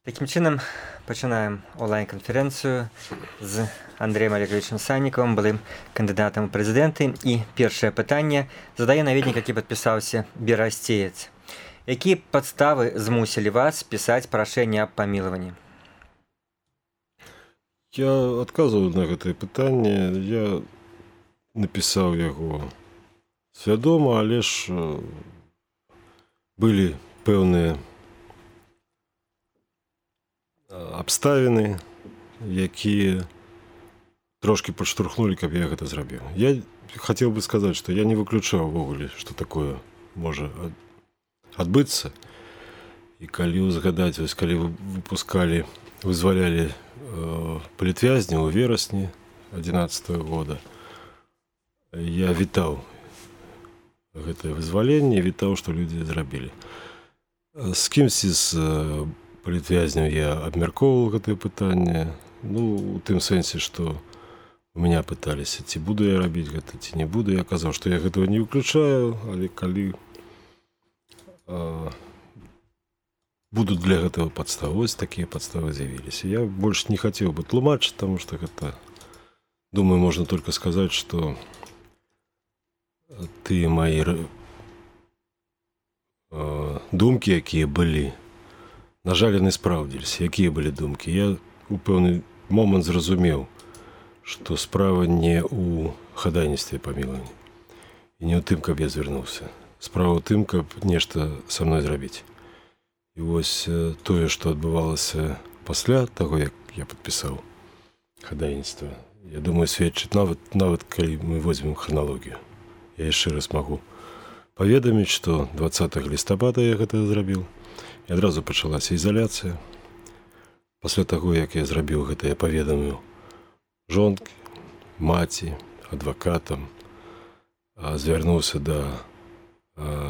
Таким чынам пачынаем онлайн-канферэнцыю з Андрэем Олеговичем Санніковым, былым кандыдатам у прэзідэнты. І першае пытанне задае наведнік, які падпісаўся Берасцеец. Якія падставы змусілі вас пісаць прашэнне аб памілаванні? Я адказваю на гэтае пытанне. Я напісаў яго свядома, але ж былі пэўныя абставіны, якія трошки падштурхнулі, каб я гэта зрабіў. Я хацеў бы сказаць, што я не выключаў увогуле, што такое можа адбыцца. І калі узгадаць, калі вызвалялі палітвязняў у верасні 2011 года, я вітаў гэтае вызваленне, вітаў, што людзі зрабілі. З кімсьці з палітвязняў я абмяркоўваў гэтае пытанне. У тым сэнсе, што у мяне пыталіся, ці буду я рабіць гэта, ці не буду. Я казаў, што я гэтага не выключаю, але калі будуць для гэтага падставы, ось такія падставы з'явіліся. Я больш не хацеў бы тлумачыць, таму што гэта, думаю, можна толькі сказаць, што тыя мае думкі, якія былі, на жаль, яны спраўдзіліся. Якія былі думкі? Я у пэўны момант зразумеў, што справа не ў хадайніцтве памілавання і не ў тым, каб я звярнуўся. Справа ў тым, каб нешта са мной зрабіць. І вось тое, што адбывалася пасля таго, як я падпісаў хадайніцтва, я думаю, сведчыць нават калі мы возьмем храналогію. Я яшчэ раз магу паведаміць, што 20 лістапада я гэта зрабіў. І адразу пачалася ізаляцыя. Пасля таго, як я зрабіў гэта, я паведаміў жонкі, маці, адвакатам, звярнуўся да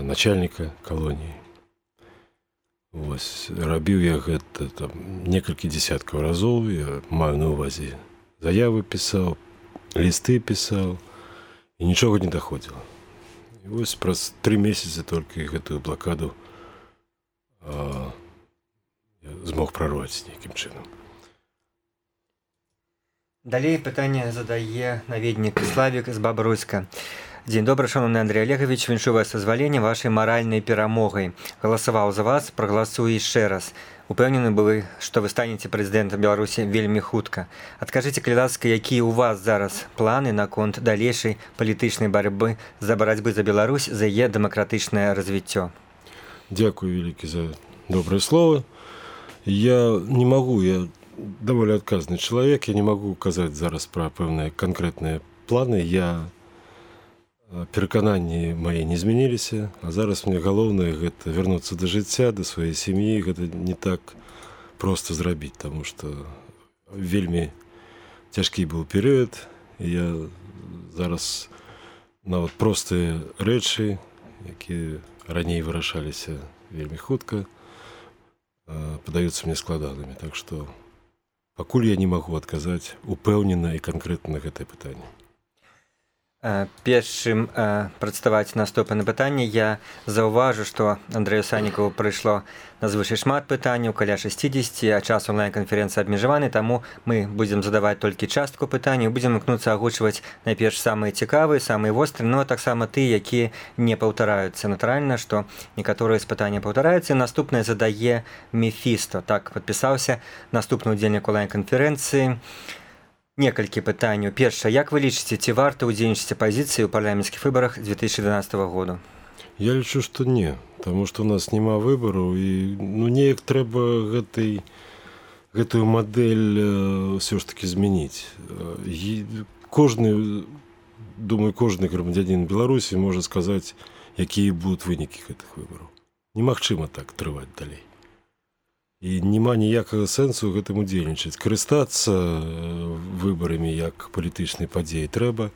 начальніка калоніі. Рабіў я гэта некалькі дзесяткаў разоў. Я маю на ўвазе заявы пісаў, лісты пісаў, і нічога не даходзіла. І вось праз 3 месяцы толькі гэтую блакаду я змог прорваць нейкім чынам. Далей пытанне задае наведнік Славік з Бабруйска. Дзень добры, шановны Андрей Олегович, віншую вас дазваленне вашай маральнай перамогай. Галасаваў за вас, прагаласую яшчэ раз. Упэўнены вы, што вы станеце прэзідэнтам Беларусі вельмі хутка. Адкажыце, калі ласка, якія ў вас зараз планы наконт далейшай палітычнай барацьбы за Беларусь, за яе дэмакратычнае развіццё? Дзякую вялікі за добрыя словы. Я не магу, я даволі адказны чалавек, я не магу казаць зараз пра пэўныя канкрэтныя планы. Перакананні мае не змяніліся, а зараз мне галоўнае гэта вярнуцца да жыцця, да сваёй сям'і. Гэта не так проста зрабіць, таму што вельмі цяжкі быў перыяд. Я зараз нават простыя рэчы, якія раней вырашаліся вельмі хутка, падаюцца мне складанымі. Так што пакуль я не магу адказаць упэўнена і канкрэтна на гэтае пытанне. Першым прадставаць наступнае пытанне я заўважу, што Андрэю Саннікову прыйшло назвышай шмат пытанняў, каля 60, а час онлайн-канферэнцыі абмежаваны, таму мы будзем задаваць толькі частку пытанняў, будзем імкнуцца агучваць найперш самыя цікавыя, самыя вострыя, а таксама тыя, якія не паўтараюцца. Натуральна, што некаторыя з пытанняў паўтараюцца. Наступнае задае Мефісто. Так падпісаўся наступны ўдзельнік онлайн-канферэнцыі. Некалькі пытанняў. Першае, як вы лічыце, ці варта ўдзельнічаць апазіцыі ў парламенцкіх выбарах 2012 года? Я лічу, што не, таму што у нас няма выбараў і неяк трэба гэтую мадэль ўсё ж такі змяніць. Думаю, кожны грамадзянін Беларусі можа сказаць, якія будуць вынікі гэтых выбараў. Немагчыма так трываць далей. І няма ніякага сэнсу гэтым удзельнічаць. Карыстацца выбарамі як палітычнай падзеі трэба.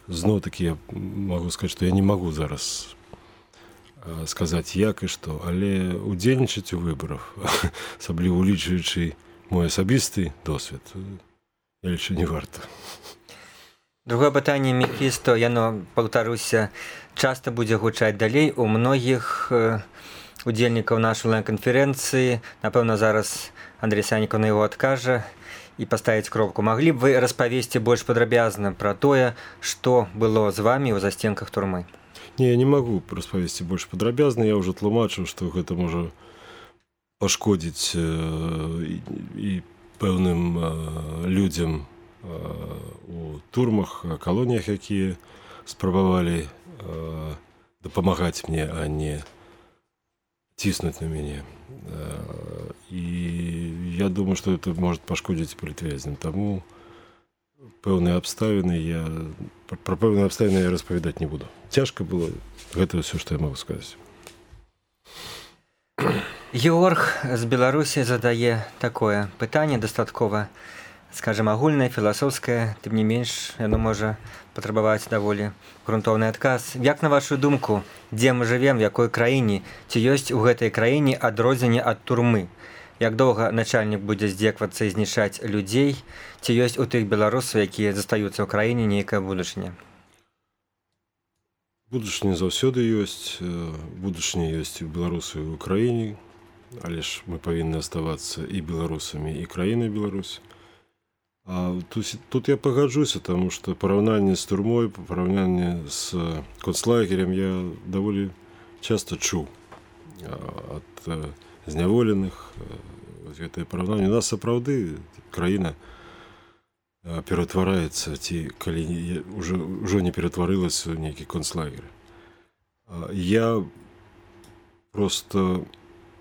Зноў-такі я магу сказаць, што я не магу зараз сказаць як і што, але удзельнічаць у выбарах, асабліва улічваючы мой асабісты досвед, я лічу, не варта. Другое пытанне Мефісто, яно, паўтаруся, часта будзе гучаць далей у многіх удзельнікаў нашай онлайн-канферэнцыі. Напэўна, зараз Андрэй Санікаў на яго адкажа і паставіць кропку. Маглі б вы распавесці больш падрабязна пра тое, што было з вамі ў застенках турмы? Не, я не магу распавесці больш падрабязна. Я ўжо тлумачыў, што гэта можа пашкодзіць і пэўным людзям у турмах, калоніях, якія спрабавалі дапамагаць мне, а не ціснуць на мяне. І я думаю, што это может пашкодзіць палітвязням. Таму пэўныя абставіны пра пэўныя абставіны я распавядаць не буду. Цяжка было. Гэта ўсё, што я магу сказаць. Георг з Беларусі задае такое пытанне, дастаткова, скажем, агульнае, філасофскае, тым не менш, яно можа патрабаваць даволі грунтоўны адказ. Як на вашу думку, дзе мы жывем, в якой краіне, ці ёсць у гэтай краіне адрозненне ад турмы? Як доўга начальнік будзе здзеквацца і знішчаць людзей, ці ёсць у тых беларусаў, якія застаюцца ў краіне, нейкая будучыня? Будучыня заўсёды ёсць. Будучыня ёсць у беларусаў і ў краіне, але ж мы павінны аставацца і беларусамі, і краінай Беларусь. А тут я пагаджуся, таму што параўнанне з турмой, параўнанне з концлагерем я даволі часта чуў ад зняволеных. Гэтае параўнанне. У нас сапраўды краіна ператвараецца, ці калі ўжо не ператварылася ў нейкі концлагер. Я просто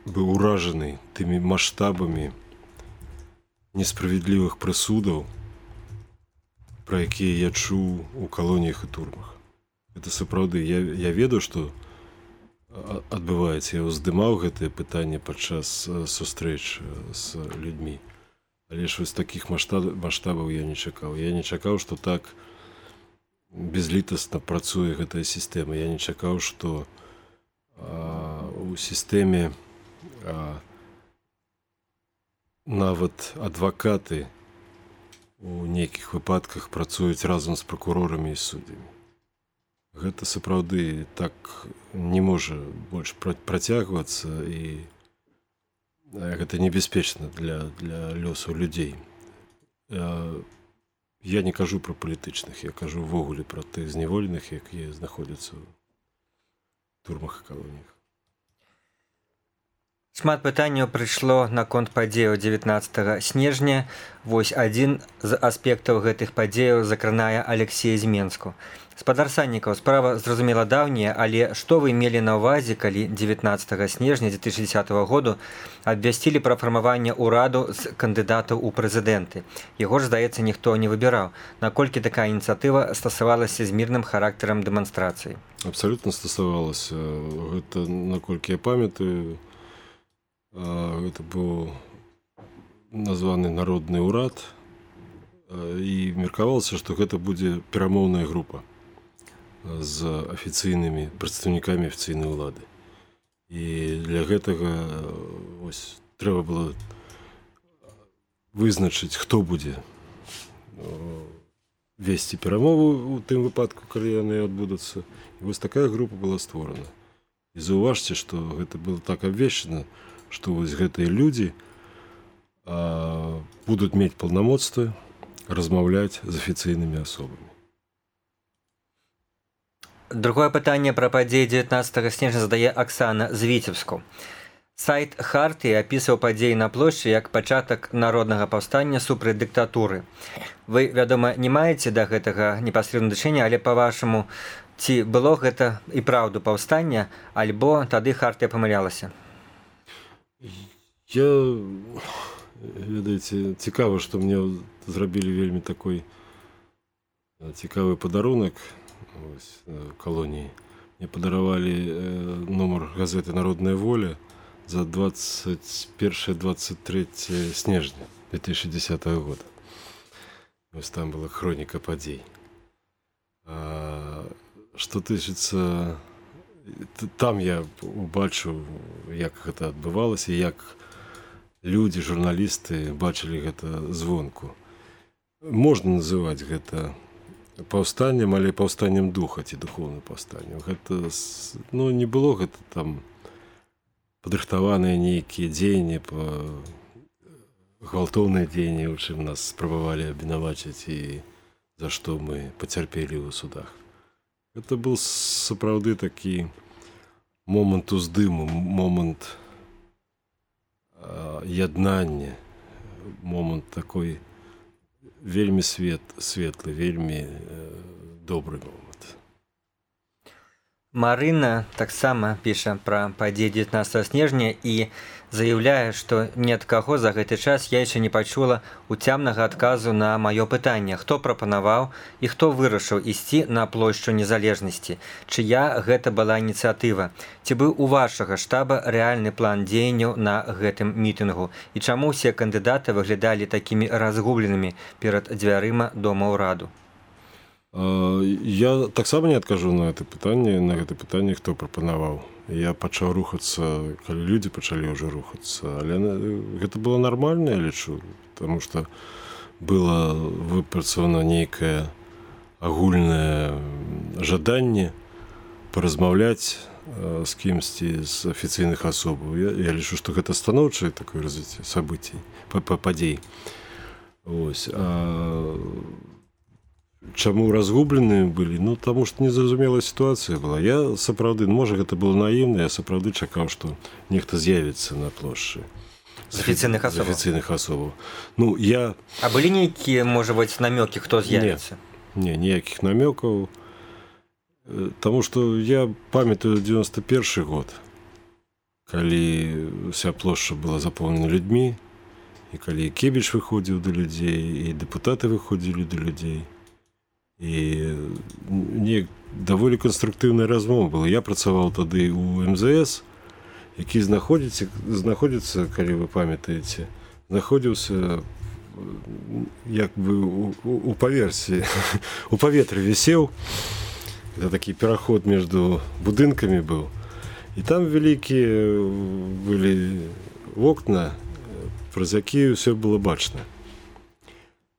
быў уражаны тымі маштабамі несправедлівых прысудаў, пра якія я чуў у калоніях і турмах. Это сапраўды. Я ведаю, што адбываецца. Я ўздымаў гэтае пытанне падчас сустрэч з людзьмі. Але ж вось такіх маштабаў я не чакаў. Я не чакаў, што так безлітасна працуе гэтая сістэма. Я не чакаў, што у сістэме нават адвакаты у нейкіх выпадках працуюць разам з пракурорамі і суддзямі. Гэта сапраўды так не можа больш працягвацца, і гэта небяспечна для лёсаў людзей. Я не кажу пра палітычных, я кажу ўвогуле пра тых зняволеных, якія знаходзяцца ў турмах і калоніях. Шмат пытанняў прыйшло наконт падзеяў 19 снежня. Вось адзін з аспектаў гэтых падзеяў закранае Алексея з Менску. Спадар Саннікаў, справа зразумела даўняя, але што вы мелі на ўвазе, калі 19 снежня 2010 году абвясцілі пра фармаванне ўраду з кандыдатаў у прэзідэнты? Яго ж, здаецца, ніхто не выбіраў. Наколькі такая ініцыятыва стасавалася з мірным характарам дэманстрацыі? Абсалютна стасавалася. Гэта, наколькі я памятаю, гэта быў названы народны ўрад, і меркавалася, што гэта будзе перамоўная група з афіцыйнымі прадстаўнікамі афіцыйнай улады. І для гэтага трэба было вызначыць, хто будзе весці перамову ў тым выпадку, калі яны адбудуцца. І вось такая група была створана. І заўважце, што гэта было так абвешчана, што вось гэтыя людзі будуць мець паўнамоцтвы размаўляць з афіцыйнымі асобамі. Другое пытанне пра падзеі 19 снежня задае Аксана з Віцебску. Сайт Хартыі апісваў падзеі на плошчы як пачатак народнага паўстання супраць дыктатуры. Вы, вядома, не маеце да гэтага непасрэдна дачынення, але па-вашаму, ці было гэта і праўду паўстання, альбо тады Хартыя памылялася? Ведаеце, цікава, што мне зрабілі вельмі такой цікавы падарунак калоніі. Мне падаравалі нумар газеты «Народная воля» за 21-23 снежня 2010 года. Вось там была хроніка падзей. Што тычыцца, там я убачыў, як гэта адбывалася, як людзі, журналісты бачылі гэта звонку. Можна называць гэта паўстаннем, але паўстаннем духа ці духоўным паўстаннем. Гэта, не было гэта там падрыхтаваныя нейкія дзеянні, гвалтоўныя дзеянні, у чым нас спрабавалі абвінаваціць і за што мы пацярпелі ў судах. Гэта быў сапраўды такі момант уздыму, момант яднання, момант такой вельмі светлы, вельмі добры момант. Марына таксама піша пра падзеі 19 снежня і заяўляе, што ні ад каго за гэты час я яшчэ не пачула уцямнага адказу на маё пытанне, хто прапанаваў і хто вырашыў ісці на плошчу незалежнасці, чыя гэта была ініцыятыва, ці быў у вашага штаба рэальны план дзеянняў на гэтым мітынгу і чаму ўсе кандыдаты выглядалі такімі разгубленымі перад дзвярыма дома ўраду. Я таксама не адкажу на гэта пытанне, хто прапанаваў. Я пачаў рухацца, калі людзі пачалі ўжо рухацца, але гэта было нармальна, я лічу, таму што было выпрацавана нейкае агульнае жаданне паразмаўляць з кімсьці з афіцыйных асобаў. Я лічу, што гэта станоўчае такое развіццё сабыцій, падзей. Вось. Чаму разгубленыя былі? Ну, таму што незразумелая сітуацыя была. Я сапраўды, можа, гэта было наіўна, я сапраўды чакаў, што нехта з'явіцца на плошчы. З афіцыйных асобаў. Ну, А былі нейкія, можа быць, намёкі, хто з'явіцца? Не, ніякіх намёкаў. Таму што я памятаю 91 год, калі вся плошча была запоўнена людзьмі, і калі Кебіч выходзіў да людзей, і дэпутаты выходзілі да людзей. І даволі канструктыўная размова была. Я працаваў тады ў МЗС, які знаходзіцца, калі вы памятаеце, знаходзіўся як бы у паверсе, у паветры вісеў. Это такі пераход між будынкамі быў. І там вялікія былі вокна, праз якія ўсё было бачна.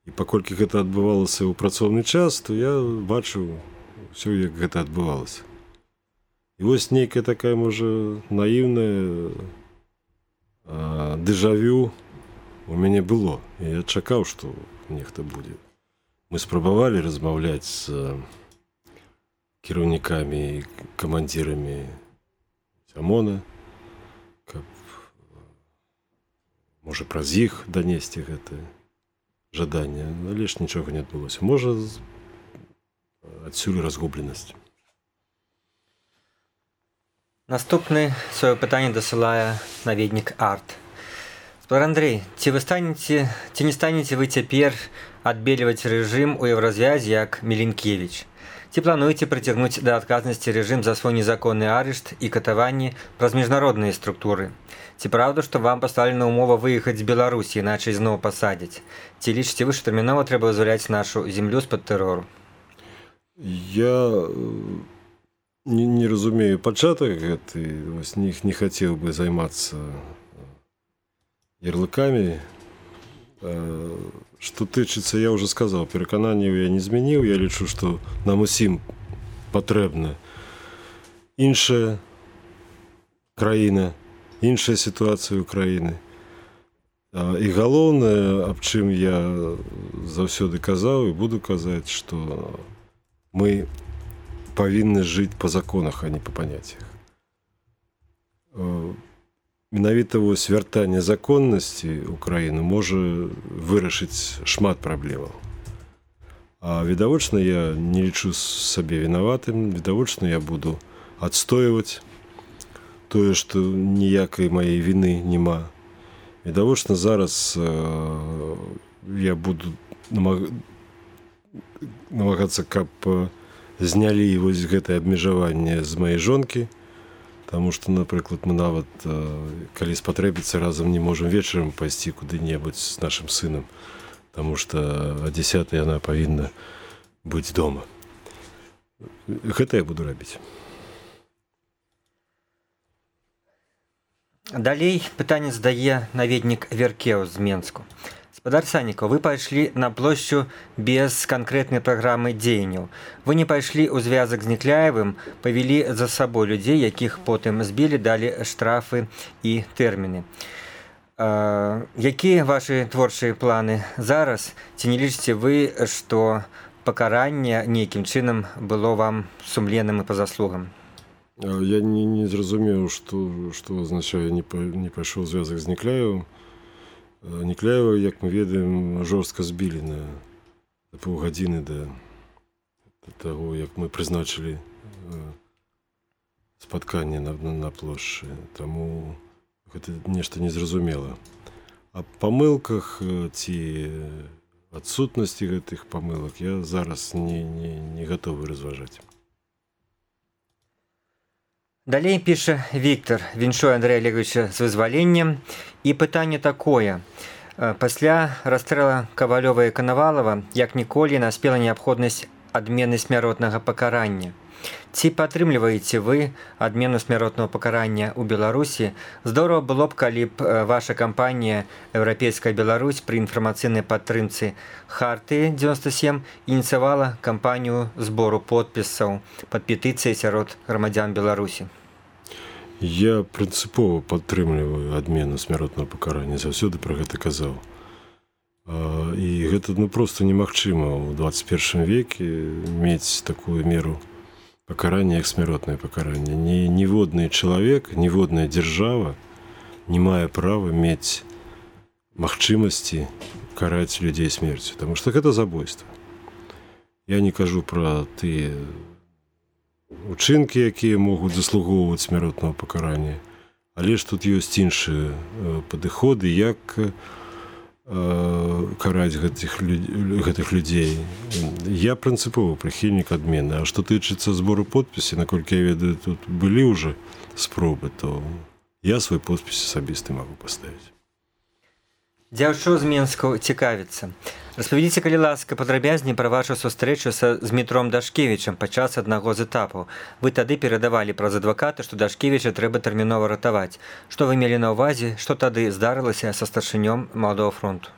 І паколькі гэта адбывалася ў працоўны час, то я бачыў ўсё, як гэта адбывалася. І вось нейкая такая, можа, наіўная дэжавю у мяне было. І я чакаў, што нехта будзе. Мы спрабавалі размаўляць з кіраўнікамі і камандзірамі ОМОНа, каб, можа, праз іх данесці гэтае жаданне, але ж нічога не адбылося. Можа, адсюль разгубленасць. Наступны сваё пытанне дасылае наведнік Арт. Спадар Андрэй, ці не станеце вы цяпер адбельваць рэжым у Еўразвязе як Міленкевіч? Ці плануеце прыцягнуць да адказнасці рэжым за свой незаконны арышт і катаванні праз міжнародныя структуры? Ці правда, што вам пастаўлена ўмова выехаць з Беларусі, іначай зноў пасадзяць? Ці лічыце вы, што тэрмінова трэба вызваляць нашу зямлю з-пад тэрору? Я не разумею пачатак гэты, не хацеў бы займацца ярлыкамі. Што тычыцца, я ўжо сказаў, перакананняў я не змяніў. Я лічу, што нам усім патрэбна іншая краіна, іншая сітуацыя ўкраіны. І галоўнае, аб чым я заўсёды казаў і буду казаць, што мы павінны жыць па законах, а не па паняццях. Менавіта вось вяртанне законнасці ў краіну можа вырашыць шмат праблемаў. А відавочна, я не лічу сабе вінаватым, відавочна, я буду адстойваць тое, што ніякай маёй віны няма. Відавочна, зараз я буду намагацца, каб знялі вось гэтае абмежаванне з маёй жонкі, таму што, напрыклад, мы нават, калі спатрэбіцца, разам не можам вечарам пайсці куды-небудзь з нашым сынам, таму што о 10 яна павінна быць дома. Гэта я буду рабіць. Далей пытанне задае наведнік Веркеў з Менску. Вадар Санікаў, вы пайшлі на плошчу без канкрэтнай праграмы дзеянняў. Вы не пайшлі ў звязак з Некляевым, павялі за сабой людзей, якіх потым збілі, далі штрафы і тэрміны. Якія вашы творчыя планы зараз? Ці не лічыце вы, што пакаранне нейкім чынам было вам сумленным і па заслугам? Я не зразумеў, што азначае не пайшоў звязак з Некляевым. Некляева, як мы ведаем, жорстка збілі на паўгадзіны да таго, як мы прызначылі спатканне на плошчы. Таму гэта нешта незразумела. А памылках ці адсутнасці гэтых памылак я зараз не гатовы разважаць. Далей піша Віктор, віншуе Андрэя Олеговича з вызваленнем. І пытанне такое. Пасля расстрела Кавалёва і Канавалова, як ніколі, наспела неабходнасць адмены смяротнага пакарання. Ці падтрымліваеце вы адмену смяротнага пакарання ў Беларусі? Здорава было б, калі б ваша кампанія «Еўрапейская Беларусь» пры інфармацыйнай падтрымцы Хартыі 97 ініцыявала кампанію збору подпісаў пад петыцыяй сярод грамадзян Беларусі. Я прынцыпова падтрымліваю адмену смяротнага пакарання, заўсёды пра гэта казаў. І гэта проста немагчыма ў 21 веке мець такую меру пакарання, як смяротнае пакаранне. Ніводны чалавек, ніводная дзяржава не мае права мець магчымасці караць людзей смерцю, таму што гэта забойства. Я не кажу пра тыя учынкі, якія могуць заслугоўваць смяротнага пакарання, але ж тут ёсць іншыя падыходы, як караць гэтых людзей. Я прынцыповы прыхільнік адмены. А што тычыцца збору подпісі, наколькі я ведаю, тут былі ўжо спробы, то я свой подпіс асабісты магу паставіць. Дзяўчо з Менску цікавіцца. Распавядзіце, калі ласка, падрабязней пра вашу сустрэчу з Дмітром Дашкевічам падчас аднаго з этапаў. Вы тады перадавалі праз адваката, што Дашкевіча трэба тэрмінова ратаваць. Што вы мелі на ўвазе? Што тады здарылася са старшынём Маладога фронту?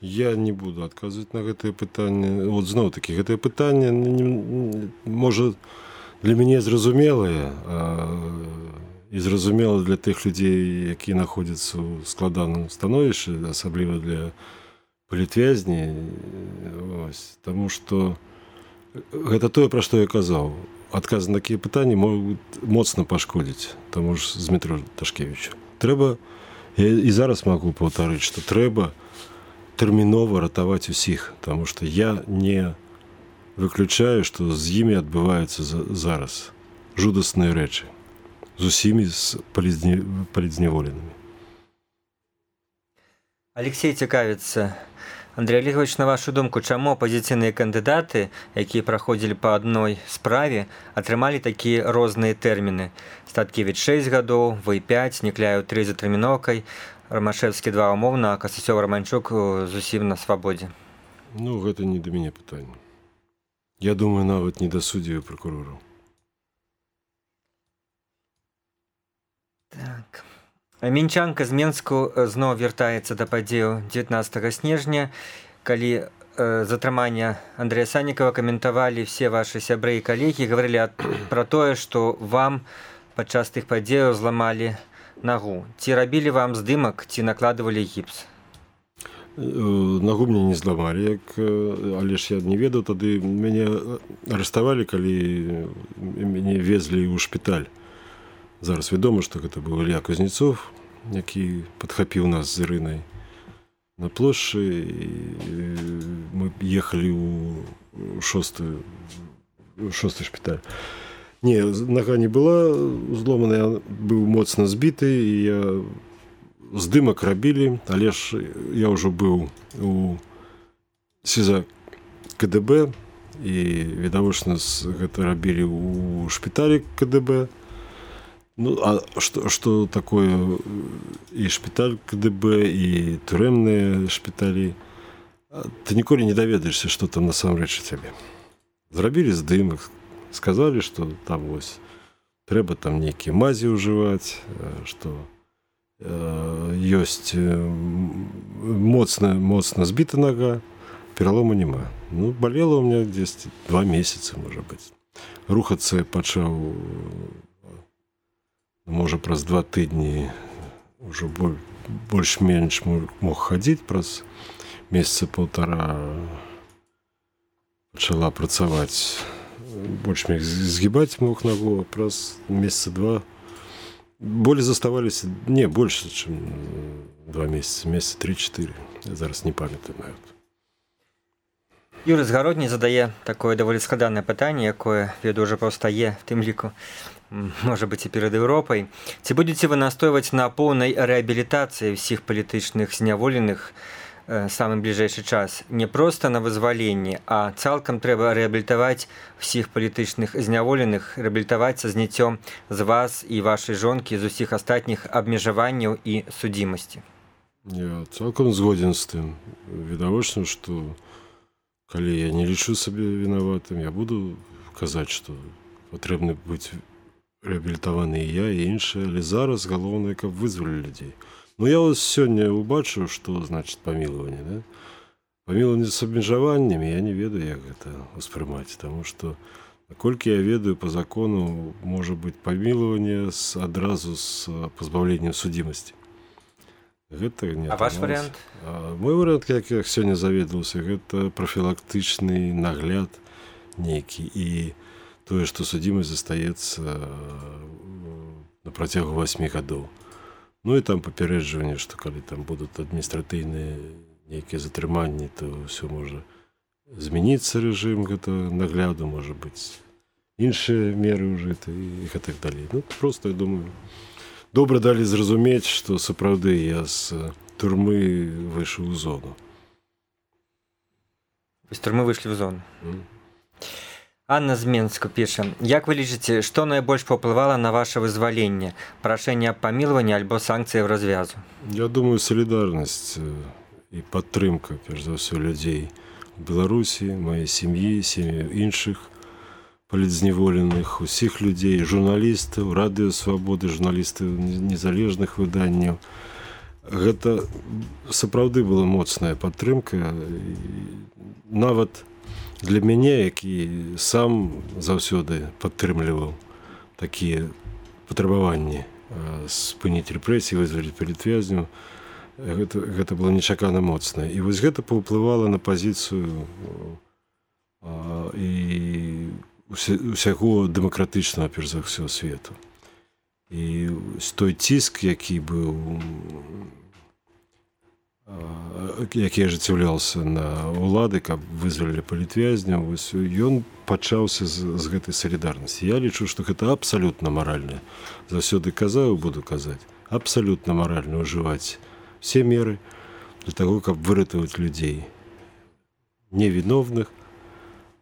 Я не буду адказваць на гэтае пытанне. Вот зноў-такі, гэтае пытанне, можа, для мяне зразумелае, і зразумела для тых людзей, якія знаходзяцца ў складаным становішчы, асабліва для палітвязней. Таму што гэта тое, пра што я казаў. Адказы на такія пытанні могуць моцна пашкодзіць таму ж з Дмітру Дашкевічу. Трэба, я і зараз магу паўтарыць, што трэба тэрмінова ратаваць усіх, таму што я не выключаю, што з імі адбываюцца зараз жудасныя рэчы. З усімі палідзняволенымі. Алексей цікавіцца. Андрей Олегович, на вашу думку, чаму апазіцыйныя кандыдаты, якія праходзілі па адной справе, атрымалі такія розныя тэрміны? Статкевіч 6 гадоў, вы 5, Некляеў 3 за тэрміноўкай, Рамашэвскі 2 умоўна, а Касацёў-Раманчук зусім на свабодзе. Гэта не да мяне пытанне. Я думаю, нават не да суддзяў і пракурораў. Так. Мінчанка з Менску зноў вяртаецца да падзеяў 19 снежня, калі затрымання Андрэя Санікава каментавалі все вашы сябры і калегі, гаварылі пра тое, што вам падчас тых падзеяў зламалі нагу. Ці рабілі вам здымак, ці накладывалі гіпс? Нагу мне не зламалі, але ж я не ведаў, тады мяне арыштавалі, калі мяне везлі ў шпіталь. Зараз вядома, што гэта быў Ілля Кузнецов, які падхапіў нас з Ірынай на плошчы. Мы ехалі ў шосты шпіталь. Не, нага не была зломаная, быў моцна збіты, і я здымак рабілі, але ж я ўжо быў у СІЗА КДБ, і відавочна гэта рабілі ў шпіталі КДБ. А што такое і шпіталь КДБ, і турэмныя шпіталі? Ты ніколі не даведаешся, што там насамрэч у цябе. Зрабілі здымак, сказалі, што там вось трэба там нейкія мазі ўжываць, што ёсць моцна збіта нога, пералому няма. Ну, болела у меня десь 2 месяца, может быть. Рухацца пачаў, можа, праз 2 тыдні уже больш-менш мог хадзіць, праз месяца 1,5 пачала працаваць. Больш-менш згибаць мог ногу, праз месяца 2 боли заставаліся, не, больше, чым 2 месяца, месяца 3-4. Я зараз не памятаю нават. Юрый Згародні задае такое даволі складанае пытанне, якое, веду, ўжо паўстае в тым ліку, можа быць, і перад Еўропай. Ці будзеце вы настойваць на поўнай рэабілітацыі ўсіх палітычных зняволеных самы бліжэйшы час? Не проста на вызваленні, а цалкам трэба рэабілітаваць усіх палітычных зняволеных, рэабілітаваць са зняццём з вас і вашай жонкі, з усіх астатніх абмежаванняў і судзімасці. Я цалкам згоден з тым. Відавочна, што калі я не лічу сабе вінаватым, я буду казаць, што патрэбны быць рэабілітаваны і я, і іншыя, але зараз галоўнае, каб вызвалілі людзей. Ну, я вось сёння убачыў, што значыць памілаванне, да? Памілаванне з абмежаваннямі, я не ведаю, як гэта ўспрымаць, таму што, наколькі я ведаю, па закону можа быць памілаванне адразу з пазбаўленнем судзімасці. Гэта не ваш варыянт? Мой варыянт, як я сёння заведаваўся, гэта прафілактычны нагляд нейкі, і тое, што судзімасць застаецца на працягу 8 гадоў. Ну і там папярэджванне, што калі там будуць адміністратыйныя нейкія затрыманні, то ўсё можа змяніцца рэжым гэта нагляду, можа быць іншыя меры ўжыты і гэтак далей. Ну, просто, я думаю, добра далі зразумець, што сапраўды я з турмы выйшаў у зону. З турмы выйшлі ў зону. Анна з Менску піша: як вы лічыце, што найбольш паўплывала на ваше вызваленне? Прашэнне аб памілаванні альбо санкцыі развязу? Я думаю, салідарнасць і падтрымка, перш за ўсё, людзей у Беларусі, маёй сям'і, сем'і іншых палітзняволеных, усіх людзей, журналістаў, радыё Свабоды, журналістаў незалежных выданняў. Гэта сапраўды была моцная падтрымка. Нават для мяне, які сам заўсёды падтрымліваў такія патрабаванні спыніць рэпрэсіі, вызваліць палітвязняў, гэта было нечакана моцна. І вось гэта паўплывала на пазіцыю і усяго дэмакратычнага, перш за ўсё, свету. І той ціск, які быў, які ажыццяўляўся на ўлады, каб вызвалілі палітвязняў, ён пачаўся з гэтай салідарнасці. Я лічу, што гэта абсалютна маральна. Заўсёды казаў, буду казаць, абсалютна маральна ўжываць все меры для таго, каб выратаваць людзей невіновных,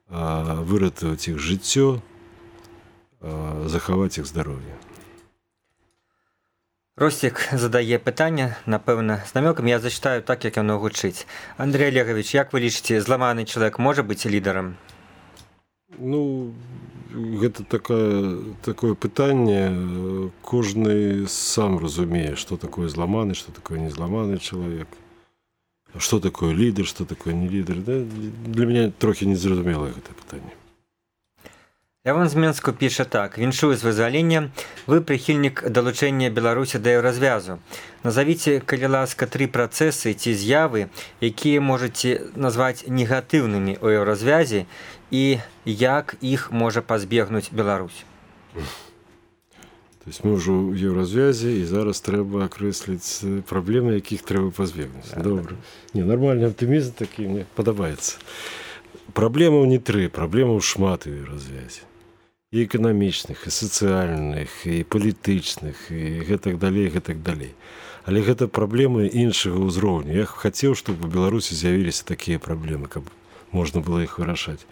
выратаваць іх жыццё, захаваць іх здароўе. Ростик задае пытанне, напэўна, з намёкам, я зачытаю так, як яно гучыць. Андрей Олегович, як вы лічыце, зламаны чалавек можа быць лідарам? Ну, гэта такое пытанне, кожны сам разумее, што такое зламаны, што такое незламаны чалавек. Што такое лідар, што такое не лідар. Да? Для мяне трохі незразумелае гэта пытанне. Лявон з Менску піша так: віншую з вызваленнем, вы прыхільнік далучэння Беларусі да еўразвязу. Назавіце, калі ласка, 3 працэсы ці з'явы, якія можаце назваць негатыўнымі ў еўразвязе, і як іх можа пазбегнуць Беларусь? То есть мы ўжо ў еўразвязе, і зараз трэба акрэсліць праблемы, якіх трэба пазбегнуць. Добра. Не, нармальны аптымізм такі мне падабаецца. Праблемаў не 3, праблемаў шмат у еўразвязе. І эканамічных, і сацыяльных, і палітычных, і гэтак далей, гэтак далей. Але гэта праблемы іншага ўзроўню. Я хацеў, чтобы у Беларусі з'явіліся такія праблемы, каб можна было іх вырашаць.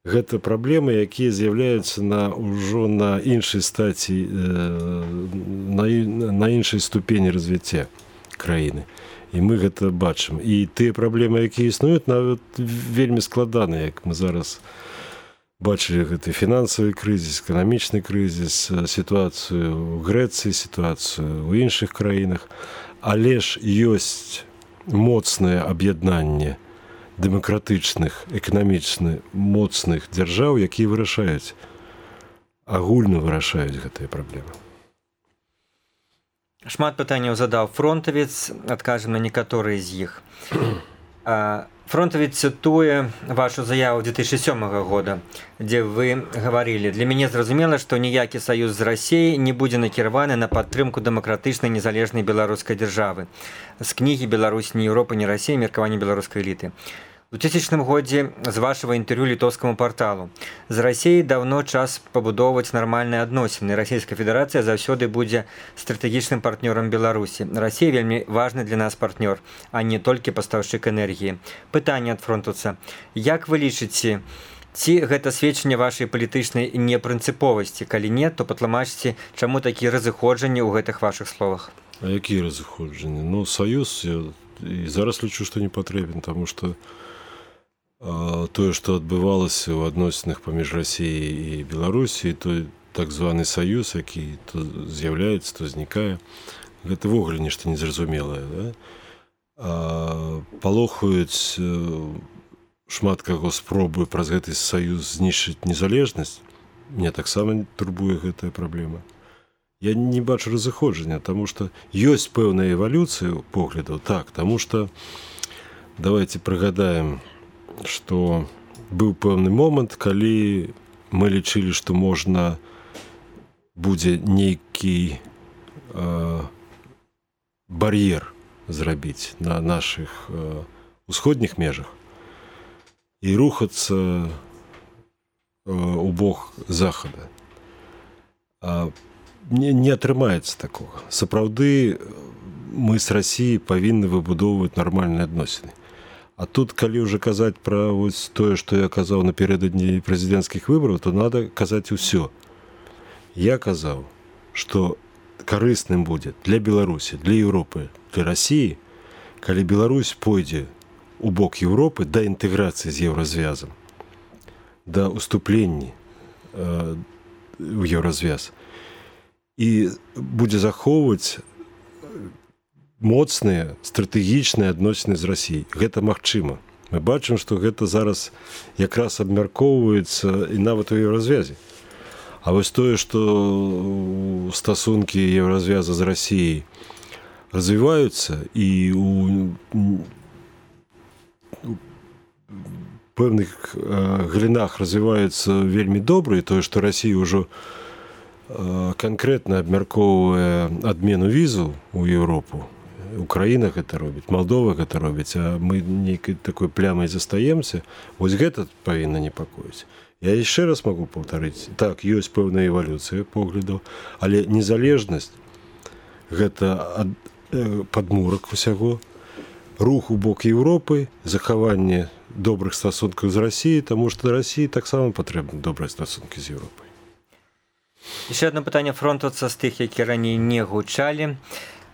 Гэта праблемы, якія з'яўляюцца ўжо на іншай стаці, на іншай ступені развіцця краіны. І мы гэта бачым. І тыя праблемы, якія існуюць, нават вельмі складаныя, як мы зараз бачылі гэты фінансавы крызіс, эканамічны крызіс, сітуацыю ў Грэцыі, сітуацыю ў іншых краінах. Але ж ёсць моцнае аб'яднанне дэмакратычных, эканамічна моцных дзяржаў, якія вырашаюць, агульна вырашаюць гэтыя праблемы. Шмат пытанняў задаў фронтавец, адкажам на некаторыя з іх. Фронтавец цытуе вашу заяву 2007 года, дзе вы гаварылі: «Для мяне зразумела, што ніякі саюз з Расіяй не будзе накіраваны на падтрымку дэмакратычнай незалежнай беларускай дзяржавы». З кнігі «Беларусь, не Еўропа, не Расія. Меркаванне беларускай эліты». У 2000 годзе з вашага інтэрв'ю літоўскаму парталу: «З Расіяй даўно час пабудоўваць нармальныя адносіны. Расійская федэрацыя заўсёды будзе стратэгічным партнёрам Беларусі. Расія вельмі важны для нас партнёр, а не толькі пастаўшчык энергіі». Пытанне ад фронтуца: як вы лічыце, ці гэта сведчанне вашай палітычнай непрынцыповасці? Калі не, то патлумачце, чаму такія разыходжанні ў гэтых вашых словах? А якія разыходжанні? Ну, саюз я і зараз лічу, што не патрэбен, таму што тое, што адбывалася ў адносінах паміж Расіяй і Беларусі, той так званы саюз, які то з'яўляецца, то знікае, гэта ввогуле нешта незразумелае. Да? Палохаюць шмат каго спробуе праз гэты саюз знішчыць незалежнасць. Мне таксама турбуе гэтая праблема. Я не бачу разыходжання, таму што ёсць пэўная эвалюцыя поглядаў, так, таму што давайте прыгадаем, што быў пэўны момант, калі мы лічылі, што можна будзе нейкі бар'ер зрабіць на нашых усходніх межах і рухацца у бок захада. Не атрымаецца такога. Сапраўды мы з Расіяй павінны выбудоўваць нармальныя адносіны. А тут, калі ўжо казаць пра вось тое, што я казаў напярэдадні прэзідэнцкіх выбараў, то надо казаць усё. Я казаў, што карысным будзе для Беларусі, для Еўропы, для Расіі, калі Беларусь пойдзе у бок Еўропы да інтэграцыі з еўразвязам, да ўступлення ў еўразвяз, і будзе захоўваць моцныя стратэгічныя адносіны з Расіяй. Гэта магчыма. Мы бачым, што гэта зараз якраз абмяркоўваецца і нават у еўразвязе. А вось тое, што стасункі еўразвяза з Расіяй развіваюцца і у пэўных галінах развіваюцца вельмі добра, і тое, што Расія ўжо канкрэтна абмяркоўвае адмену візу ў Еўропу. Украіна гэта робіць, Малдова гэта робіць, а мы нейкай такой плямай застаемся. Вось гэта павінна непакоіць. Я яшчэ раз магу паўтарыць. Так, ёсць пэўная эвалюцыя поглядаў, але незалежнасць гэта падмурак усяго, рух у бок Еўропы, захаванне добрых стасункаў з Расіяй, таму што Расіі таксама патрэбны добрыя стасункі з Еўропай. Яшчэ адно пытанне фронтуца з тых, які раней не гучалі.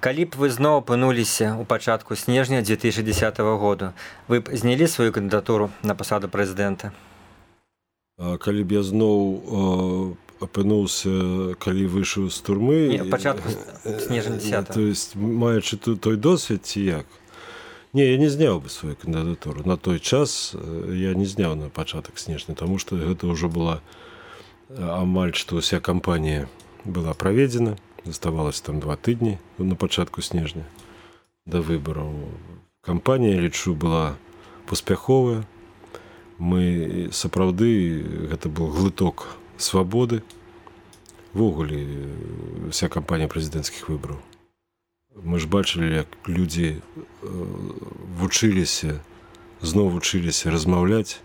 Калі б вы зноў апынуліся ў пачатку снежня 2010 года, вы б знялі сваю кандыдатуру на пасаду прэзідэнта? Калі б я зноў апынуўся, калі выйшаў з турмы... Не, пачатку снежня 10. То есть, маючы той досвед, ці як? Не, я не зняў бы сваю кандыдатуру. На той час я не зняў на пачатак снежня, таму што гэта ўжо была амаль што ўся кампанія была праведзена. Заставалось там 2 тыдні на пачатку снежня да выбараў. Кампанія, лічу, была паспяховая. Мы сапраўды, гэта быў глыток свабоды. Ввогуле, вся кампанія прэзідэнцкіх выбараў. Мы ж бачылі, як людзі зноў вучыліся размаўляць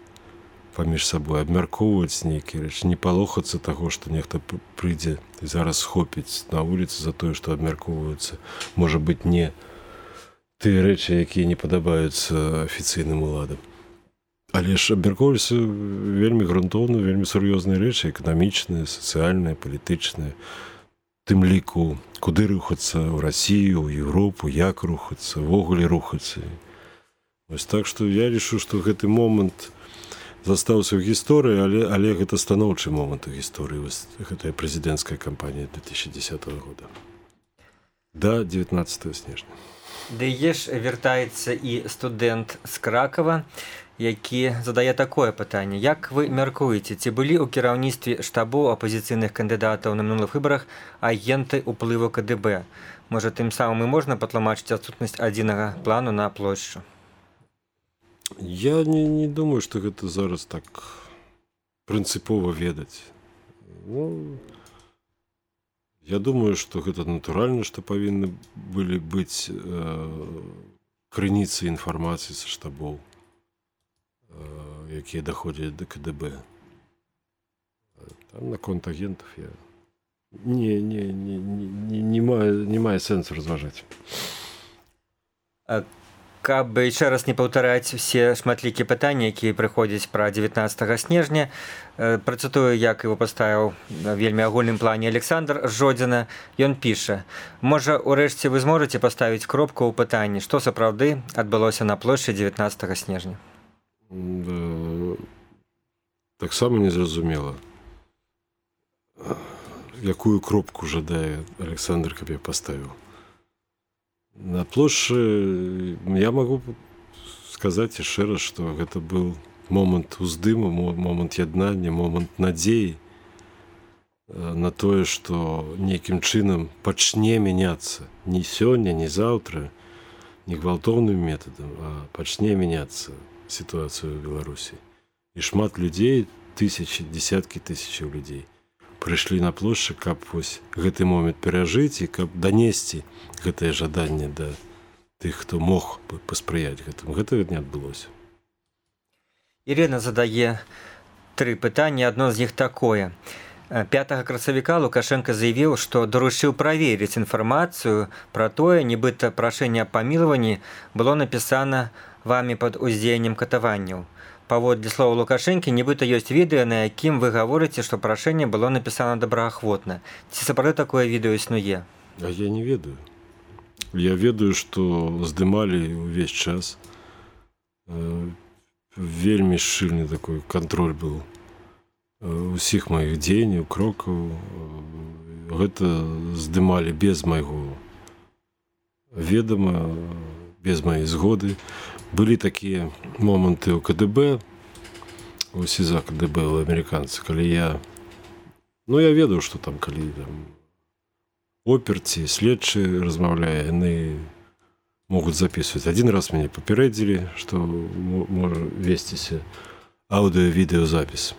паміж сабой, абмяркоўваць нейкія рэчы, не палохацца таго, што нехта прыйдзе і зараз схопіць на вуліцы за тое, што абмяркоўваюцца, можа быць, не тыя рэчы, якія не падабаюцца афіцыйным уладам. Але ж абмяркоўваліся вельмі грунтоўна, вельмі сур'ёзныя рэчы, эканамічныя, сацыяльныя, палітычныя. Тым ліку, куды рухацца ў Расію, ў Еўропу, як рухацца, ввогуле рухацца. Вось так што я лічу, што гэты момант застаўся ў гісторыі, але гэта станоўчы момант у гісторыі, гэтая прэзідэнцкая кампанія 2010 года. Да 19 снежня. Дае ж вяртаецца і студэнт з Кракава, які задае такое пытанне. Як вы мяркуеце, ці былі ў кіраўніцтве штабу апазіцыйных кандыдатаў на минулых выбарах агенты ўплыву КДБ? Можа, тым самым і можна патлумачыць адсутнасць адзінага плану на плошчу? Я не думаю, што гэта зараз так прынцыпова ведаць. Ну, я думаю, што гэта натуральна, што павінны былі быць крыніцы інфармацыі са штабоў, якія даходзяць да КДБ. Там наконт агентаў я не мае сэнсу разважаць. Каб яшчэ раз не паўтараць усе шматлікія пытанні, якія прыходзяць пра 19 снежня, працытую, як его паставіў вельмі агульным плане Александр Жодзіна. Ён піша: можа, урэшце вы зможаце паставіць кропку ў пытанні, што сапраўды адбылося на плошчы 19 снежня? Таксама незразумела, якую кропку жадае Александр, каб я паставіў. На плошчы я магу сказаць яшчэ раз, што гэта быў момант уздыму, момант яднання, момант надзеі на тое, што нейкім чынам пачне мяняцца не сёння, не заўтра, не гвалтоўным метадам, а пачне мяняцца сітуацыю ў Беларусі. І шмат людзей, тысячы, дзесяткі тысячаў людзей прыйшлі на плошчы, каб вось гэты момант перажыць і каб данесці гэтае жаданне да тых, хто мог бы паспрыяць гэтаму. Гэтага не адбылося. Ірына задае 3 пытання, адно з іх такое. 5 красавіка Лукашенко заявіў, што даручыў праверыць інфармацыю пра тое, нібыта прашэнне аб памілаванні было напісана вамі пад уздзеяннем катаванняў. Паводле слова Лукашэнкі, нібыта ёсць відэа, на якім вы гаворыце, што прашэнне было напісана добраахвотна. Ці сапраўды такое відэо існуе? А я не ведаю. Я ведаю, што здымалі ўвесь час. Вельмі шчыльны такой кантроль быў усіх маіх дзеянняў, крокаў. Гэта здымалі без майго ведама, без маёй згоды. Былі такія моманты ў КДБ, у СІЗА КДБ, у амерыканцы, калі я ведаў, што там, калі там оперці, следчы размаўляе, яны могуць записываць. Один раз мяне папярэдзілі, што можа весціся аўдыё-відэазапіс.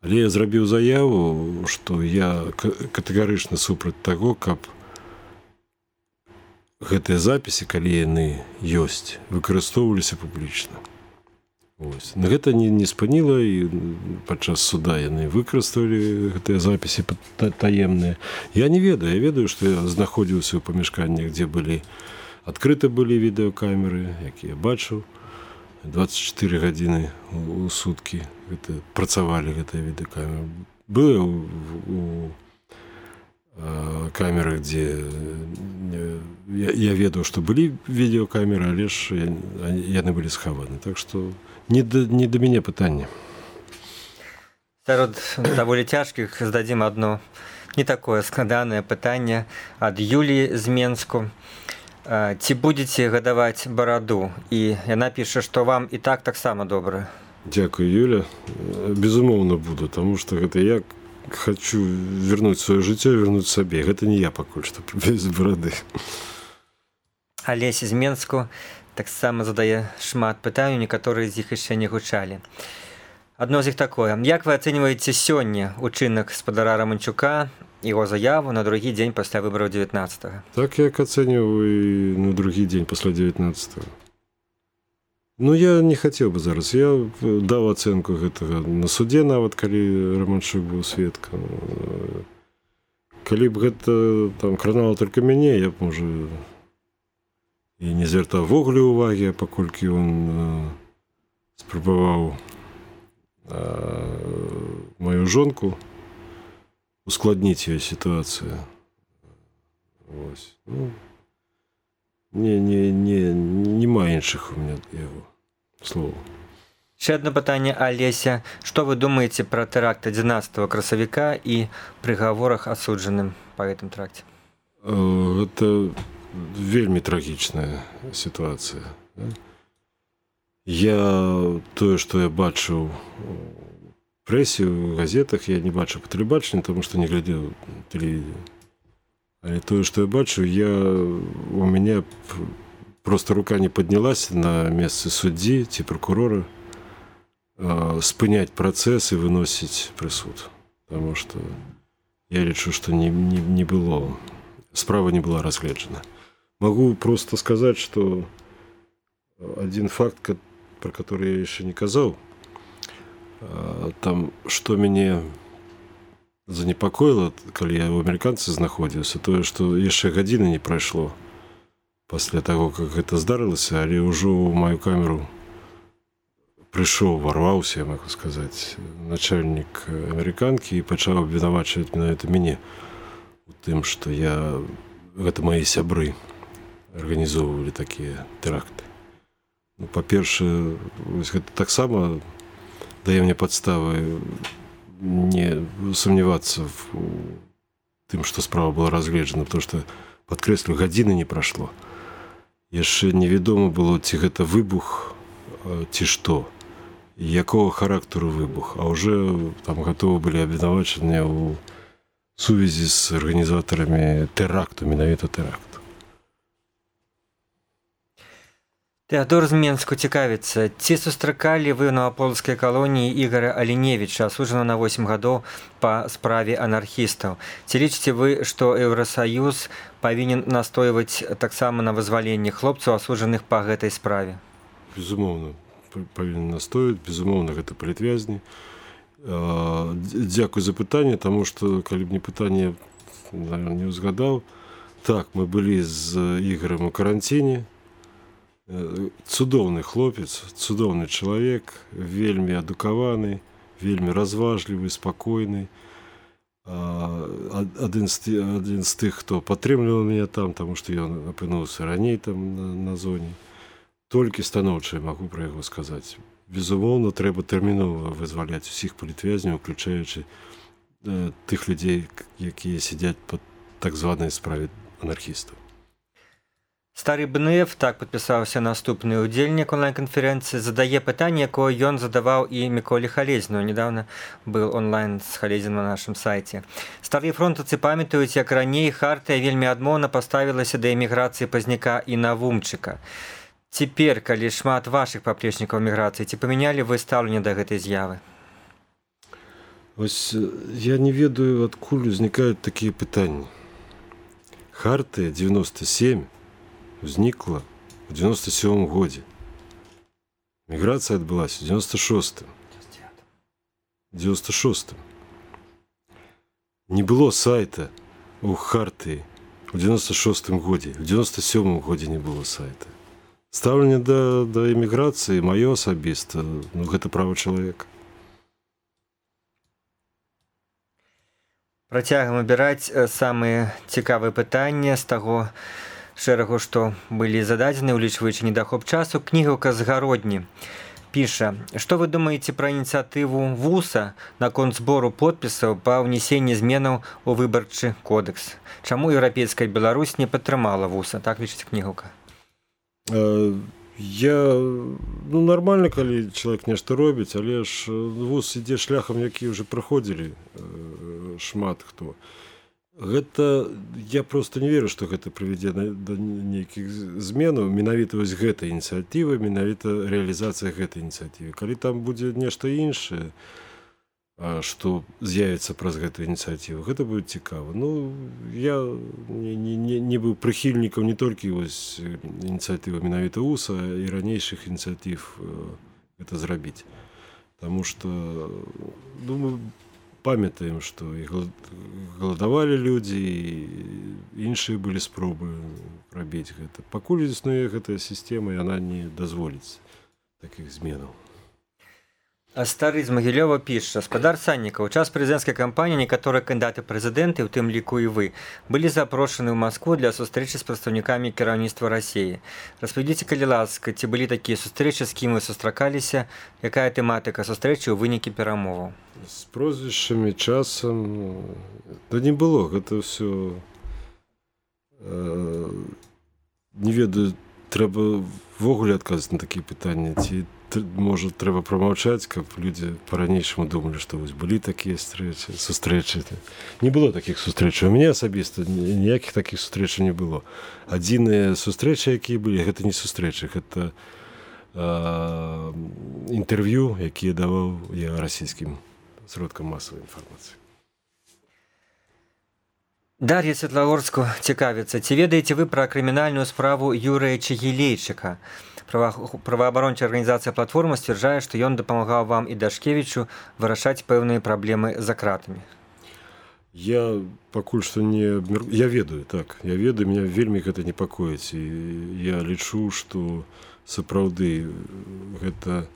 Але я зрабіў заяву, што я катэгарычна супраць таго, каб гэтыя запісы, калі яны ёсць, выкарыстоўваліся публічна. На гэта не спыніла, і падчас суда яны выкарыстоўвалі гэтыя запісы таемныя. Я не ведаю, я ведаю, што я знаходзіўся ў памяшканнях, дзе адкрыты былі відэакамеры, якія бачыў. 24 гадзіны ў суткі працавалі гэтыя відэакамеры. Было у камерах, дзе я ведаў, што былі відэакамеры, але ж яны былі схаваны. Так што не да мяне пытанне. Сярод даволі цяжкіх здадзім адно не такое складанае пытанне ад Юліі з Менску. Ці будзеце гадаваць бараду? І яна піша, што вам і таксама добра. Дзякуй, Юля. Безумоўна буду, таму што гэта я хочу вернуць сваё жыццё, вернуць сабе. Гэта не я пакуль што без барады. Алесь з Менску таксама задае шмат пытанняў, некаторыя з іх яшчэ не гучалі. Адно з іх такое. Як вы ацэньваеце сёння учынак спадара Раманчука, яго заяву на другі дзень пасля выбараў 19-го? Так, як ацэньваю і на другі дзень пасля 19-го. Я не хацеў бы зараз. Я даў ацэнку гэтага на суде, нават калі Раманчук быў сведкам. Калі б гэта кранала толькі мяне, я б, можа, і не звяртаў ввогуле ўвагі, паколькі ён спрабаваў маю жонку ускладніць ёй сітуацыю. Нема іншых у меня яго слоў. Ще одно пытанне, Алеся. Што вы думаеце пра тэракт 11 красавіка і прыгаворах асуджаным па гэтым тэракце? Гэта вельмі трагічная сітуацыя. Тое, што я бачыў у прэсе, у газетах, я не бачыў па тэлебачанні, таму што не глядзеў тэлевізію. Але тое, што я бачыў, у мяне просто рука не паднялася на месцы суддзі ці прокурора спыняць працэс і выносіць прысуд. Таму што я лічу, што справа не была разгледжана. Могу просто сказаць, што один факт, про который я яшчэ не казаў, там, што мяне занепакоіла, калі я ў амерыканцы знаходзіўся, тое, што яшчэ гадзіны не прайшло пасля таго, как гэта здарылася, але ўжо ў маю камеру прыйшоў, варваўся, я магу сказаць, начальнік амерыканкі і пачаў абвінавачваць менавіта мяне у тым, што гэта мае сябры арганізоўвалі такія тэракты. Ну, па-першае, гэта таксама дае мне падставы не сумнявацца в тым, што справа была разгледжана, потому што, падкрэслю, гадзіны не прайшло. Яшчэ невядома было, ці гэта выбух, ці што, якога характару выбух, а ўжо там гатовы былі абвінавачаныя ў сувязі з арганізатарамі тэракту, менавіта тэракту. Тэадор з Менску цікавіцца, ці сустракалі вы на польскай калоніі Ігора Аліневіча, асуджана на 8 гадоў па справе анархістаў? Ці лічыце вы, што Еўрасаюз павінен настойваць таксама на вызваленні хлопцаў, асуджаных па гэтай справе? Безумоўна, павінен настойваць, безумоўна, гэта палітвязні. Дзякуй за пытанне, таму што, калі б не пытанне, не ўзгадаў. Так, мы былі з Ігорам у каранціне. Цудоўны хлопец, цудоўны чалавек, вельмі адукаваны, вельмі разважлівы, спакойны. Адзін з тых, хто падтрымліваў мяне там, таму што ён апынуўся раней там на зоне. Толькі станоўча магу пра яго сказаць. Безумоўна, трэба тэрмінова вызваляць усіх палітвязняў, уключаючы тых людзей, якія сядзяць па так званай справе анархістаў. Стары Бнеев, так падпісаўся наступны ўдзельнік онлайн-канферэнцыі, задае пытанне, якое ён задаваў і Міколі Халезіну. Недавно был онлайн з Халезінам на нашым сайце. Старыя фронтаўцы памятаюць, як раней хартыя вельмі адмоўна паставілася да эміграцыі Пазняка і Навумчыка. Цяпер, калі шмат вашых паплечнікаў міграцыі, ці памянялі вы стаўленне да гэтай з'явы? Вось я не ведаю, адкуль узнікаюць такія пытанні. Хартыя 97 узнікла ў 97 годзе. Міграцыя адбылася ў 96-м. 96-м. Не было сайта ў хартыі ў 96-м годзе. У 97-м годзе не было сайта. Стаўленне да эміграцыі маё асабіста, гэта права чалавека. Працягам абіраць самыя цікавыя пытанні з таго шэрагу, што былі зададзены, улічваючы недахоп часу. Кнігаўка з Гародні піша, што вы думаеце пра ініцыятыву ВУСа наконт збору подпісаў па ўнесенні зменаў у выбарчы кодекс? Чаму еўрапейская Беларусь не падтрымала ВУСа? Так лічыць кнігаўка. Нармальна, калі чалавек нешта робіць, але ж ВУС ідзе шляхам, які ўжо праходзілі шмат хто. Гэта, я просто не веру, што гэта прывядзе да нейкіх зменаў, менавіта вось гэтай ініцыятывы, менавіта рэалізацыя гэтай ініцыятывы. Калі там будзе нешта іншае, што з'явіцца праз гэтую ініцыятыву, гэта будзе цікава. Я не быў прыхільнікам не толькі вось ініцыятывы менавіта УСа, і ранейшых ініцыятыў гэта зрабіць. Таму што, думаю, памятаем, што і галадавалі людзі, і іншыя былі спробы рабіць гэта. Пакуль існуе гэтая сістэма, яна не дазволіць такіх зменаў. А Стары з Магілёва піша, спадар Саннікаў, у час прэзідэнцкай кампаніі некаторыя кандыдаты прэзідэнты, у тым ліку і вы, былі запрошаны ў Маскву для сустрэчы з прадстаўнікамі кіраўніцтва Расіі. Распавядзіце, калі ласка, ці былі такія сустрэчы, з кім вы сустракаліся, якая тэматыка сустрэчы ў вынікі перамоваў? З прозвішчамі, часам, не было, гэта ўсё не ведаю, трэба ввогуле адказваць на такія пытанні, ці можа трэба прамаўчаць, каб людзі па-ранейшаму думалі, што вось былі такія сустрэчы. Не было такіх сустрэчаў. У мяне асабіста ніякіх такіх сустрэчаў не было. Адзіныя сустрэчы, якія былі, гэта не сустрэчы, гэта інтэрв'ю, якія даваў я расійскім сродкам масавай інфармацыі. Дар'я Светлагорску цікавіцца, ці ведаеце вы пра крымінальную справу Юрыя Чигілейчыка? Праваабарончая арганізацыя «Платформа» сцвярджае, што ён дапамагаў вам і Дашкевічу вырашаць пэўныя праблемы за кратамі. Я пакуль што не... Я ведаю, так. Я ведаю, мяне вельмі гэта непакоіць. І я лічу, што сапраўды гэта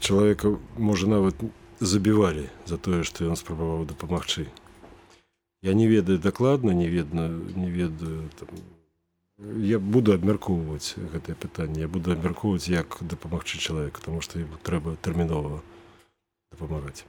чалавека, можа, нават забівалі за тое, што ён спрабаваў дапамагчы. Я не ведаю дакладна, не ведаю там... Я буду абмяркоўваць гэтае пытанне, я буду абмяркоўваць, як дапамагчы чалавеку, таму што яму трэба тэрмінова дапамагаць.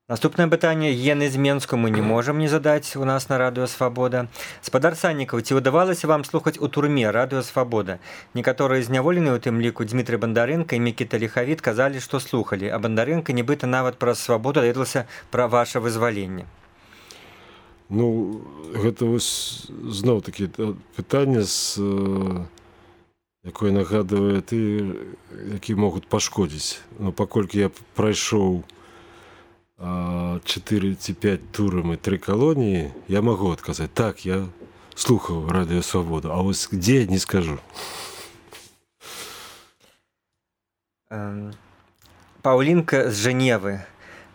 Наступнае пытанне Ены з Менску мы не можам не задаць у нас на Радыё Свабода. Спадар Саннікаў, ці ўдавалася вам слухаць у турме Радыё Свабода? Некаторыя зняволеныя, у тым ліку Дмітрый Бандарэнка і Мікіта Ліхавіт, казалі, што слухалі, а Бандарэнка нібыта нават праз Свабоду даведалася пра ваша вызваленне. Ну, гэта вось зноў-такі пытанне, якое нагадвае ты, які могуць пашкодзіць. Ну, паколькі я прайшоў 4 ці 5 турам і 3 калоніі, я магу адказаць, так, я слухаў Радыё Свабода, а вось дзе, не скажу. Паўлінка з Жэневы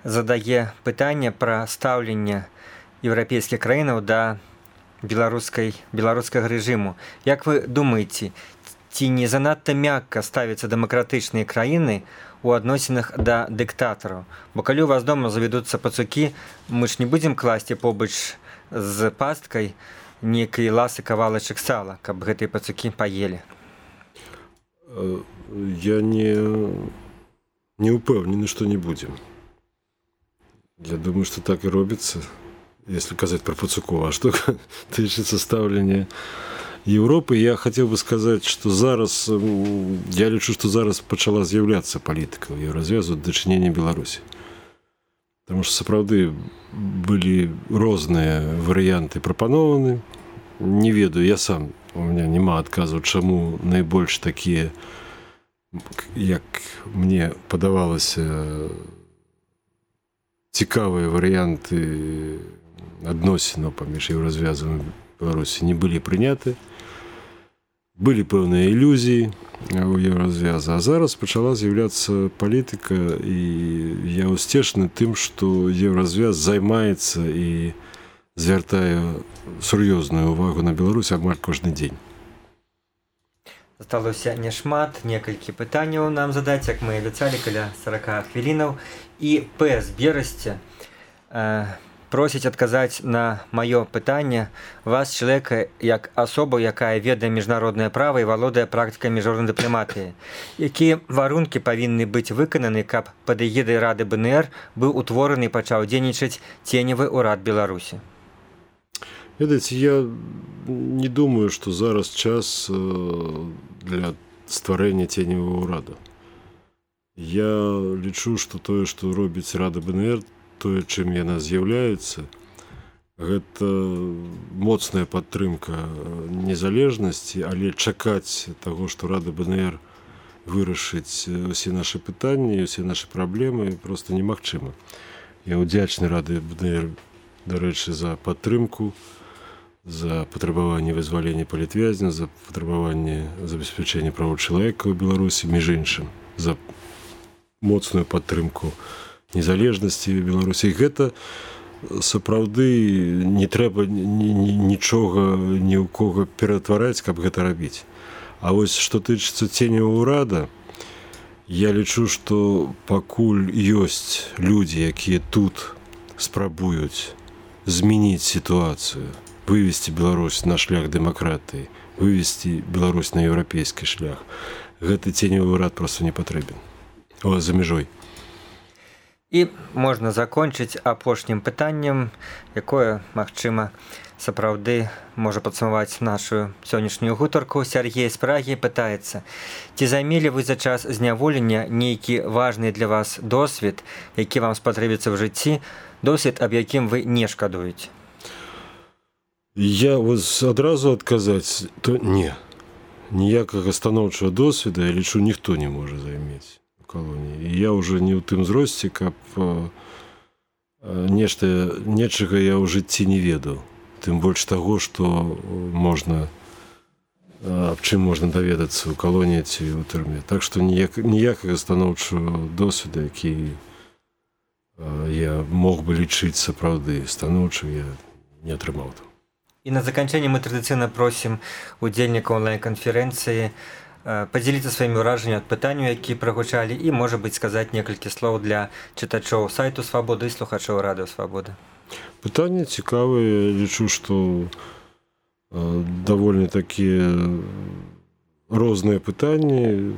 задае пытанне пра стаўленне еўрапейскіх краінаў да беларускага рэжыму. Як вы думаеце, ці не занадта мякка ставяцца дэмакратычныя краіны у адносінах да дыктатараў? Бо калі у вас дома завядуцца пацукі, мы ж не будзем класці побач з пасткай нейкай ласы кавалачак сала, каб гэтыя пацукі паелі. Я не ўпэўнены, што не будзем. Я думаю, што так і робіцца. Если казаць про пацуков, а что тычыцца стаўлення Европы, я хотел бы сказать, что зараз, я лічу, что зараз пачала з'яўляцца палітыка ў Еўразвязу дачынення Беларусі. Потому что сапраўды былі розныя варыянты прапанованы. Не ведаю, я сам, у меня няма адказу, чаму найбольш такія, як мне падавалася, цікавыя варыянты адносінаў паміж Еўразвязам і Беларусі не былі прыняты. Былі пэўныя ілюзіі у Еўразвяза, а зараз пачала з'яўляцца палітыка, і я ўсцешны тым, што Еўразвяз займаецца і звяртае сур'ёзную ўвагу на Беларусь амаль кожны дзень. Засталося няшмат, некалькі пытанняў нам задаць, як мы абяцалі, каля 40 хвілінаў. І П. з Берасці просіць адказаць на маё пытанне вас, чалавека, як асобу, якая ведае міжнароднае права і валодае практыкай міжнароднай дыпламатыі. Якія варункі павінны быць выкананы, каб пад эгідай Рады БНР быў утвораны і пачаў дзейнічаць ценевы ўрад Беларусі? Ведаеце, я не думаю, што зараз час для стварэння ценевага ўрада. Я лічу, што тое, што робіць Рада БНР, тое, чым яна з'яўляецца, гэта моцная падтрымка незалежнасці, але чакаць таго, што Рада БНР вырашыць усе нашы пытанні, усе нашы праблемы проста немагчыма. Я ўдзячны Рады БНР, дарэчы, за падтрымку, за патрабаванне вызвалення палітвязня, за патрабаванне забеспячэння правоў чалавека ў Беларусі, між іншым, за моцную падтрымку незалежнасці Беларусі. Гэта сапраўды не трэба нічога ні ў кого ператвараць, каб гэта рабіць. А вось што тычыцца ценевага ўрада, я лічу, што пакуль ёсць людзі, якія тут спрабуюць змяніць сітуацыю, вывесці Беларусь на шлях дэмакратыі, вывесці Беларусь на еўрапейскі шлях, гэты ценевы ўрад проста не патрэбен. За мяжой. І можна закончыць апошнім пытаннем, якое, магчыма, сапраўды можа падсумаваць нашу сённяшнюю гутарку. Сергей з Прагі пытаецца: ці займелі вы за час зняволення нейкі важны для вас досвед, які вам спатрэбіцца ў жыцці, досвед, аб якім вы не шкадуеце? Я адразу адказаць, то не. Ніякага станоўчага досведа, я лічу, ніхто не можа займець у калоніі. І я ўжо не ў тым зросце, каб нечага я ў жыцці не ведаў. Тым больш таго, што можна, аб чым можна даведацца ў калоніі ці ў турме. Так што ніякага станоўчага досведа, які я мог бы лічыць сапраўды станоўчым, я не атрымаў там. І на заканчэнне мы традыцыйна просім удзельнікаў онлайн-канферэнцыі падзяліцца сваімі ўражаннямі ад пытанняў, які прагучалі, і, можа быць, сказаць некалькі слоў для чытачоў сайту Свабоды і слухачоў радыё Свабода. Пытанне цікавае, лічу, што даволі такія розныя пытанні.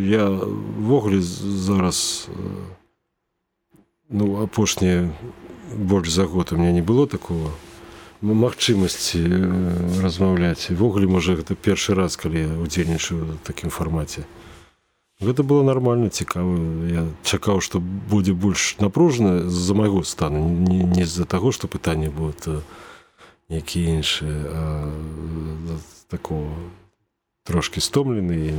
Я ввогуле зараз, апошнія больш за год у меня не было такого магчымасці размаўляць. Ввогуле, можа, гэта першы раз, калі я удзельнічаю ў такім фармаце. Гэта было нармальна, цікава. Я чакаў, што будзе больш напружана з-за майго стану, не з-за таго, што пытанні будуць якія іншыя, а такого трошкі стомлены,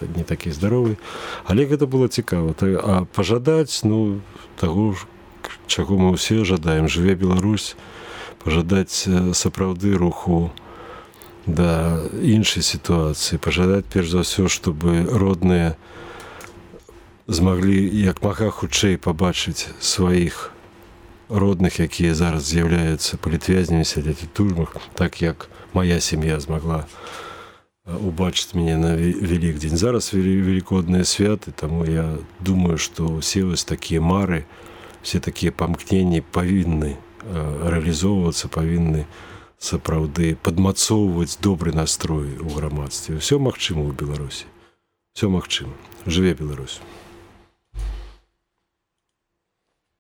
не такі здаровы. Але гэта было цікава. А пажадаць, таго, чаго мы ўсе жадаем. Жыве Беларусь. Пажадаць сапраўды руху да іншай сітуацыі, пажадаць перш за ўсё, чтобы родныя змаглі як мага хутчэй пабачыць сваіх родных, якія зараз з'яўляюцца палітвязнямі, сядзяць у турмах, так як мая сям'я змагла убачыць мяне на Велікдзень. Зараз велікодныя святы, таму я думаю, што ўсе вось такія мары, все такія памкненні павінны рэалізоўвацца, павінны сапраўды падмацоўваць добры настрой у грамадстве. Усё магчыма ў Беларусі. Усё магчыма. Жыве Беларусь.